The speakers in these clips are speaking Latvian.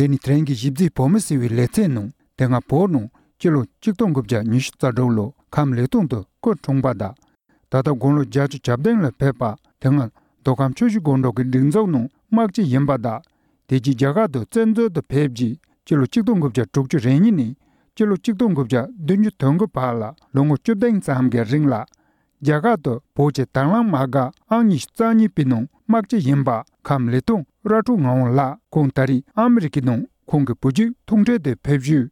데니 트랭기 집지 보면서 위 레테노 내가 보노 길로 직동급자 니시타로로 감레동도 그 총바다 다다 공로 자주 잡된라 페파 등은 도감 추주 공로그 링조노 막지 임바다 대지 자가도 전도도 폐지 길로 직동급자 쪽주 레니니 길로 직동급자 dunju tongo pala longo chudeng samge ringla jagato poche tanglang maga angi stani pinong makche yimba kamletong ratu ngong la kontari amerikinong kongge puji tongje de pebju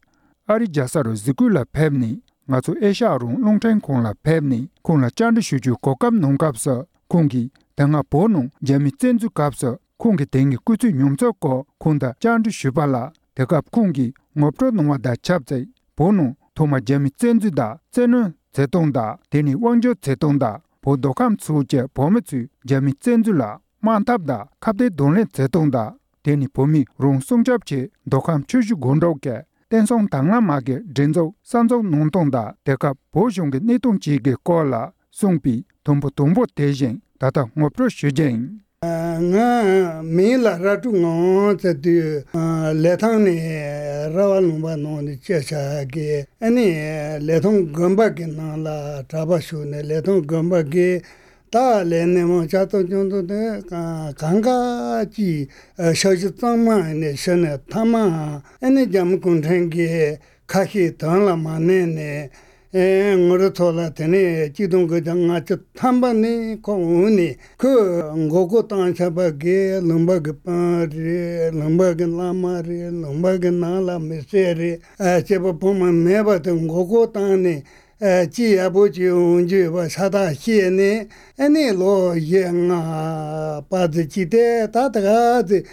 ari jasaro zikula pebni ngaso esharung longteng kongla pebni kongla chande shuju kokam nongkapsa kongi tanga ponong jami tsenzu kapsa kongi tengi kutu nyomso ko konda chande shubala dekap kongi ngopro nongwa da chapzai 보노 토마 제미 젠즈다 제는 제동다 데니 왕조 제동다 보도감 수제 보메츠 제미 젠즈라 만탑다 갑데 돈레 제동다 데니 보미 롱송잡체 도감 추주 gond로게 댄송 당라마게 젠조 산조 농동다 데카 보숑게 네동지게 콜라 송비 동보 대진 다다 모프로 슈젠 nga mila ratu ngo tati lethang ni rawa lumba no ni checha ge ani lethong gamba ge na la traba shu ne lethong gamba ge ta le ne mo cha to jong to de ganga ji shaji tang ma ne shene tama ani jam kun thang ge kha hi dang la ma ne ne ngoro thola tene chidong go janga ch thambani ko uni ko gogo tan chaba ge lamba ge pare lamba ge lama re lamba ge nala mesere cheba poma meba te gogo tan ne ji abo ji unji ba sada hie ne ani lo ye nga pa de ji de ta da de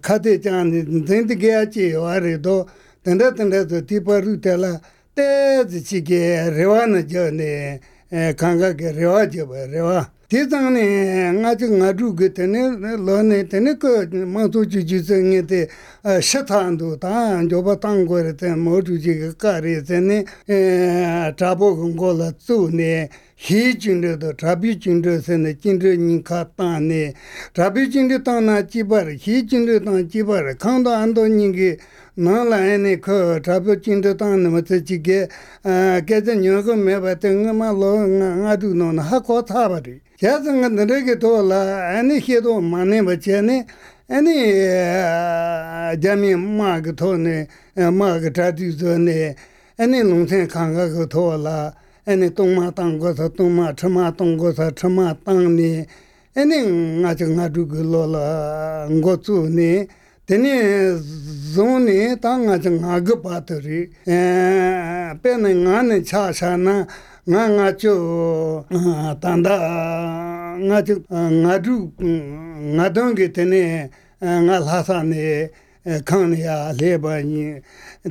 khade jan de ge ji wa re do tenda de ti paru tela 지게 레와나 저네 강가게 레와죠 레와 대장네 나주 그때네 러네 때네 그 마도지 지정에데 셔탄도 다 저바 땅고르테 모두지 까리테네 잡고 공고라 뚜네 희진도 잡이진도세네 진저니 카타네 잡이진도 땅나 지바르 희진도 땅 지바르 강도 안도니게 나라에네 그 잡이진도 땅네 맞지게 개전여고 매바등마로 나두노 하고 타바리 야정은 너에게 돌아 아니 해도 만에 버체네 아니 자미 마그 토네 마그 타디즈네 아니 농생 강가고 돌아 아니 동마 땅고서 동마 처마 동고서 처마 땅니 아니 나정아두 글로라 ngotsuni teni zone tanga jang patori pene ngane chasana nga cho tanda nga cho ngadu ngadonge tene nga hasane khania lebani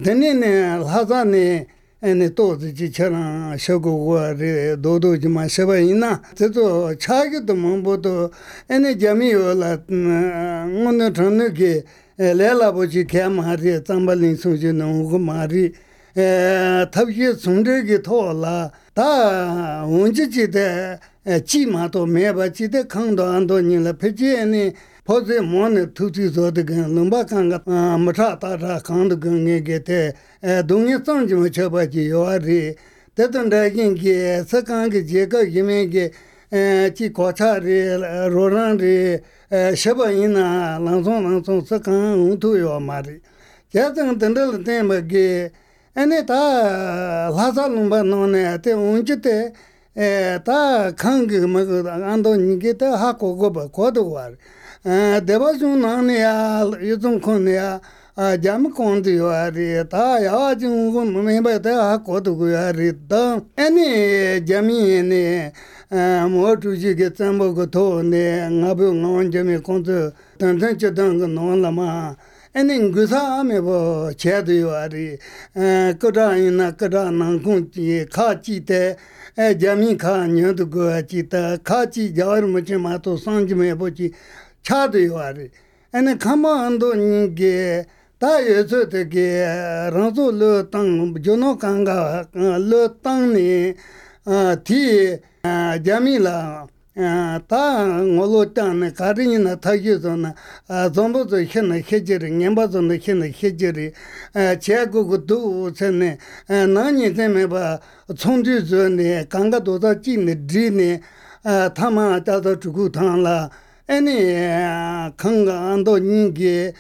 teni ne hasane ene tozi chara shogo re dodo jima sebaina teto chage to momboto ene jami ola ngono thonge lela boji kemari tambalin suje no gumari tabye sunde ge thola 다 온지지데 지마도 매바지데 강도 안도 니라 페지에니 포제 모네 투티조데 넘바칸가 마타타라 강도 경에게테 동예 성지모 쳐바지 요아리 대던다긴게 석강게 제가 이메게 지 고차리 로란리 셔바이나 랑송 석강 운투요 마리 제정 던들 때마게 ane ta lhasa lumba none te unjite ta kangi mago ando nige te ha kogo ba kodo war deba jun nane ya yuzun kone ya jam kondi wari ta ya jun gun memba te ha kodo wari ta ane jami ne motu ji ge tsambo go to ne ngabu ngon jami kondo tan chedang non lama ene gusa me bo chedu yari koda ina koda nangkunti khachi te jami kha nyod go chita khachi jar muche ma to sanj me bo chi chadu yari ene khama ando nge ta yeso te ge ranzo lo tang jono kanga lo tang ni ti jami la 다 ngolo 가리나 타기서나 전부도 현나 해지리 냠바도나 현나 해지리 제국도 전에 나니 때문에 봐 총주전에 강가도다 찐네 드네 타마 따도 주고 탄라 아니 강가안도 니게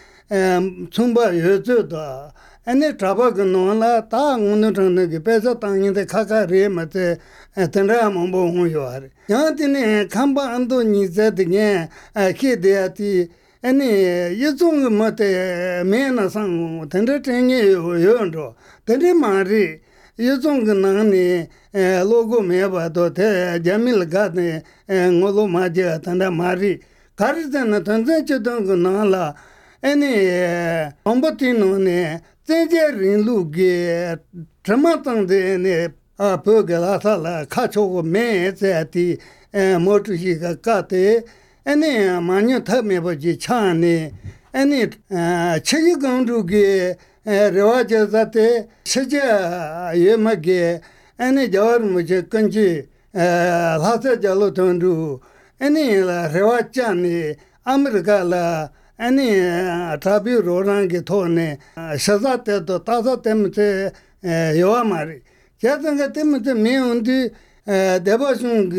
총바 여저다 아니 잡아가노라 다 오늘은 그 배서 땅인데 카카리 맞에 tenra mambo hoyare yantine khamba ando nizadge khideati ani yezong mate mena sang tenra tenge yondo tenre mari yezong nani logo meba do te jamil gane ngolo maje tanda mari karizana tanze chedong nala ani ombotino ne teje rinluge tramatang ne pögela sala kacho me zati motushi kate ene manyo thame boji chane ene chegi gondu ge rewaja zate seja yemage ene jawar muje kanji lhasa jalo tondu ene la rewaja ne amerika la ene trabi rorange thone shazate to taza temte yoamari 자든가 때문에 매운디 대바sun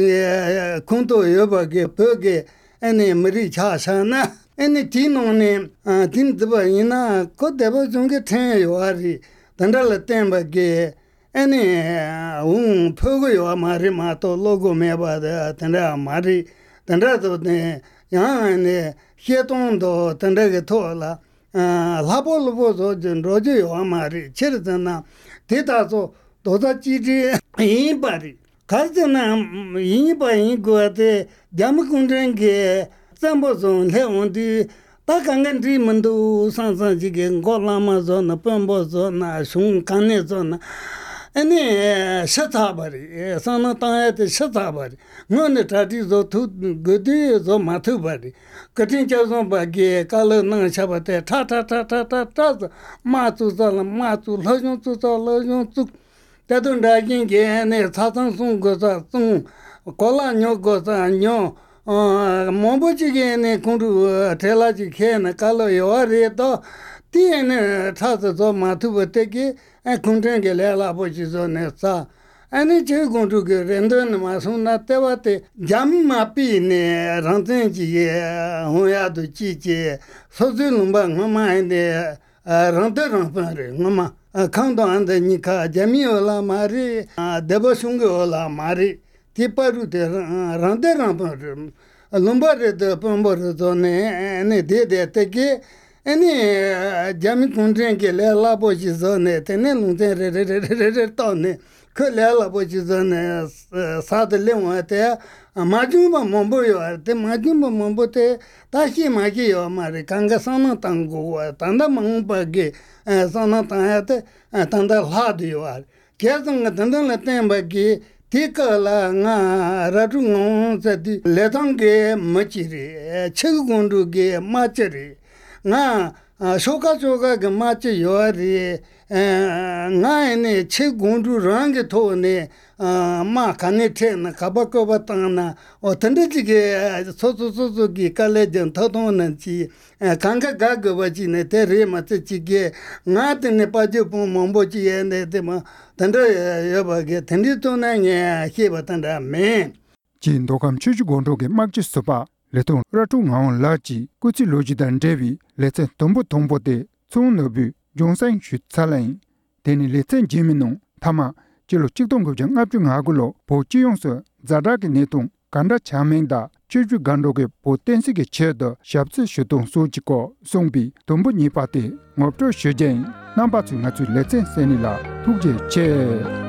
콘도 여바게 벽에 아니 머리 차사나 아니 디노네 딘드바 이나 코 대바sun게 태요아리 단달라 템바게 아니 펴고요 마리 마토 로고 메바다 단다 마리 단다도네 야네 히에동도 단다게 토라 라볼로보도 로제요 마리 체르잖아 대다서 도다지지 이바리 가르잖아 이바이 거한테 잠군드는게 삼보존 해온디 다강간디 문도 상상지게 골라마존 뻔보존 숭간네존 아니 셔타바리 산나타에 셔타바리 너네 다디조 투 거디조 마투바리 그팅자존 바게 칼나 샤바테 타타타타타타 마투존 마투 러존투존 Tadun daging ne sasan sung gosa sung kola nyo gosa nyo mombochi ne kundu telaji ke na kalo yore to tiene tasa zo matuba teki kunten le la bochi zo ne sa ani che kundu ke rendo ne masuna tewate jami mapi ne ranten ji hoya do chi che sozu lumba ngama ne rante rampare ngama 강도 안데 니카 재미올라 마리 데버숭고올라 마리 티파루데 란데랑 롬바르데 pombor도네 네 데데테게 아니 재미 콘트랭게 레라보지존네 테네 룬데레레레레 토네 그 레라보지존네 사들레와테 마중바 mombo요 테 마중바 mom보테 다시 마기요 마리 강가선은 땅고 단다 망바게 산나타야테 단다 하디요 계속 단단라 템바게 티카라 나 라중옹 세디 레당게 마치리 체군두게 마치리 나 쇼카쇼가 마치 요리 나에네 체군두 랑게 토네 마 카네테나 카바코바타나 어떤데지게 소소소소기 칼레전 토도는지 강가 가거바지네 테레마치게 나한테 빠져 몸보지에네 데마 단다 여바게 텐디토나게 히바탄다 메 진도감 추주곤도게 막지스바 레톤 라퉁하온 라지 꾸치 로지단 데비 레체 동보 동보데 총너비 용산 슈찰라인 데니 레체 지미농 타마 지로 직동급정 압중하고로 보지용서 자다게 내동 간다 차맹다 추주 간도게 보텐시게 체더 샵스 슈동 소지고 송비 동부 니파테 몹도 슈젠 남바츠 나츠 레체 세닐라 투제 체